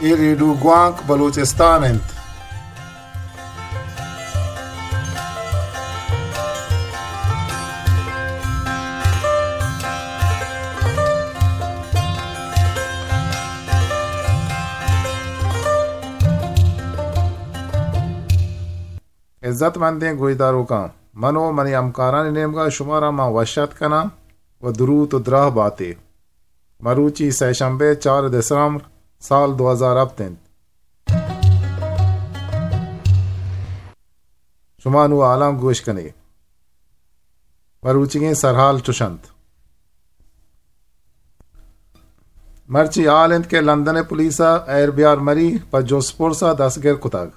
اے ریڈیو گوانک بلوچستان انت۔ عزت مندیں گوشداروکاں، من و منی ہمکارانی نیمگا شمارا من وش اتک کناں و دروت و دراہ باتے۔ مروچی سئے شمبے، چار دسمبر، سال دو ہزار ہپت انت۔ شما نوں حالاں گوش کنے۔ مروچیگیں سرحال چش انت۔ مرچی حال انت کہ لندن ء پولیس ء ایر بیار مری پہ جست پرس ء دستگر کتگ۔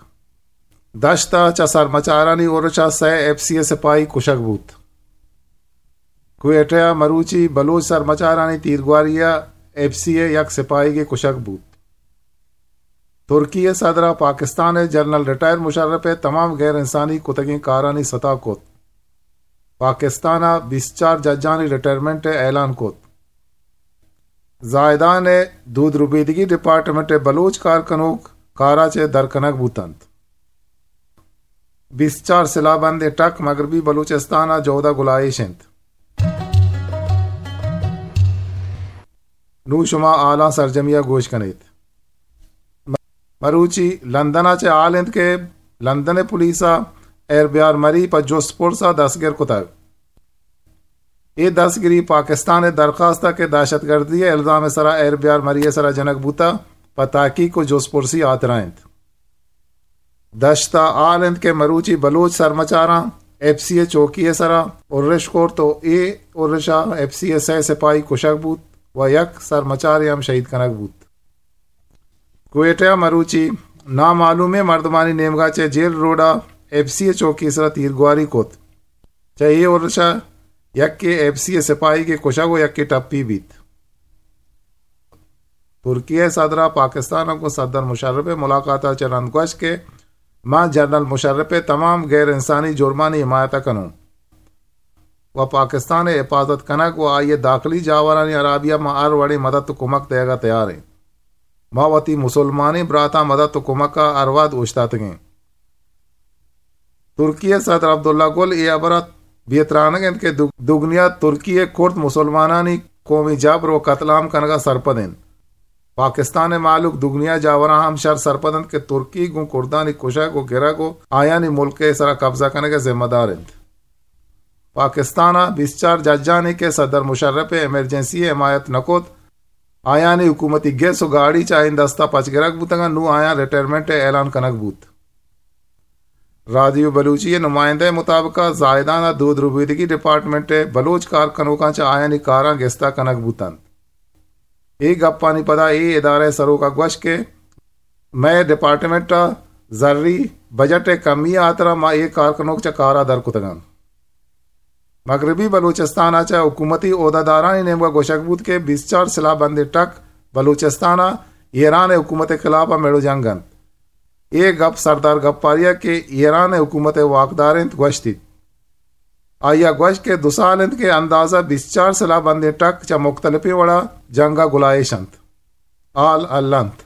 دشت ء چہ سرمچارانی ارش ء سئے ایف سی ء سپاہی کشگ بوت۔ کوئٹہ ء مروچی بلوچ سرمچارانی تیرگواری ء ایف سی ء یک سپاہیگے کشگ بوت۔ ترکی ء صدر ء پاکستان ء جنرل ریٹائر مشرف ء تمام غیر انسانی کتگیں کارانی ستا کت۔ پاکستان ء بیست چار ججانی ریٹائرمنٹ ء اعلان کت۔ زاہدان ء دود ربیدگی ڈیپارٹمنٹ ء بلوچ کار کنوک کارا چہ در کنگ بوتنت۔ بیست چار سلاہ بندیں ٹک مغربی بلوچستان ء جہد ء گلائیش انت۔ نوں شما حالاں سرجمی ء گوش کنیت۔ مروچی لندن ء چہ حال انت کہ لندن ء پولیس ء ایر بیار مری پہ جست پرس ء دستگر کتگ۔ اے دستگیری پاکستان ء درخواست ء کہ دہشت گردی ء الزام ء سرا ایر بیار مری ء سرا جنگ بوتہ پہ تحقیق و جست پرسی ہاترا انت۔ دشت ء حال انت کہ مروچی بلوچ سرمچاراں ایف سی ء چوکی ء سرا ارش کرت و اے ارش ء ایف سی ء سئے سپاہی کشگ بوت و یک سرمچارے ہم شہید کنگ بوت۔ کوئٹہ ء مروچی نامعلومیں مردمانی نیمگا چہ جیل روڈ ء ایف سی ء چوکی ء سرا تیرگواری کت۔ چہ اے ارش ء یکے ایف سی ء سپاہیگے کشگ و یکے ٹپی بیت۔ ترکی ء صدر ء پاکستان ء گوں صدر مشرف ء ملاقات ء چہ رند گوشت کہ من جنرل مشرف ء تمام غیر انسانی جرمانی حمایت ء کنوں و پاکستان ء حفاظت کنگ و آئی ء داخلی جاورانی ہرابی ء ما ہر وڑیں مدد و کمک دئیگ ء تیار ایں۔ ما وتی مسلمانیں براتاں مدد و کمک ء ہر وھد اوشتاتگیں۔ ترکی ء صدر عبداللہ گل اے ہبر ء بے ترانگ انت کہ دو-، دگنیا ترکی ء کرد مسلمانانی قومی جبر و قتل عام کنگ ء سرپد انت۔ پاکستان ء مہلوک دگنیا جاوراں ہم شر سرپد انت کہ ترکی گوں کردانی کشگ و گرگ و آیانی ملک ء سرا قبضہ کنگ ء ذمہ دار انت۔ پاکستان ء بیست چار ججانی کہ صدر مشرف ء ایمرجنسی ء حمایت نہ کت، آیانی حکومتی گس و گاڑی چہ آیانی دست ء پچ گرگ بوتگ انت، نوں آیاں ریٹائرمنٹ ء اعلان کنگ بوت۔ رادیو بلوچی ء نمائندہ ء مطابق ء زاہدان ء دود ربیدگی ڈیپارٹمنٹ ء بلوچ کار کنوکاں چہ آیانی کاراں گستا کنگ بوت انت۔ اے گپانی پدا اے ادارہ ء سروک ء گوشت کہ مئے ڈیپارٹمنٹ ء زری بجٹ ء کمی ء ہاترا ما اے کار کنوک چہ کار ء در کتگ انت۔ مغربی بلوچستان ء چہ حکومتی عہدہ دارانی نیمگ ء گوشگ بوت کہ بیست چار سلاہ بندیں ٹک بلوچستان ء ایران ء حکومت ء خلاف ء میڑ و جنگ انت۔ اے گپ سردار گپاری ء کہ ایران ء حکومت ء واکدار انت گوشتیت۔ آئی ء گوشت کہ دو سال انت کہ اندازہ بیست چار سلاہ بندیں ٹک چہ مختلفیں وڑا جنگ ء گلائیش انت۔ حال ہلنت۔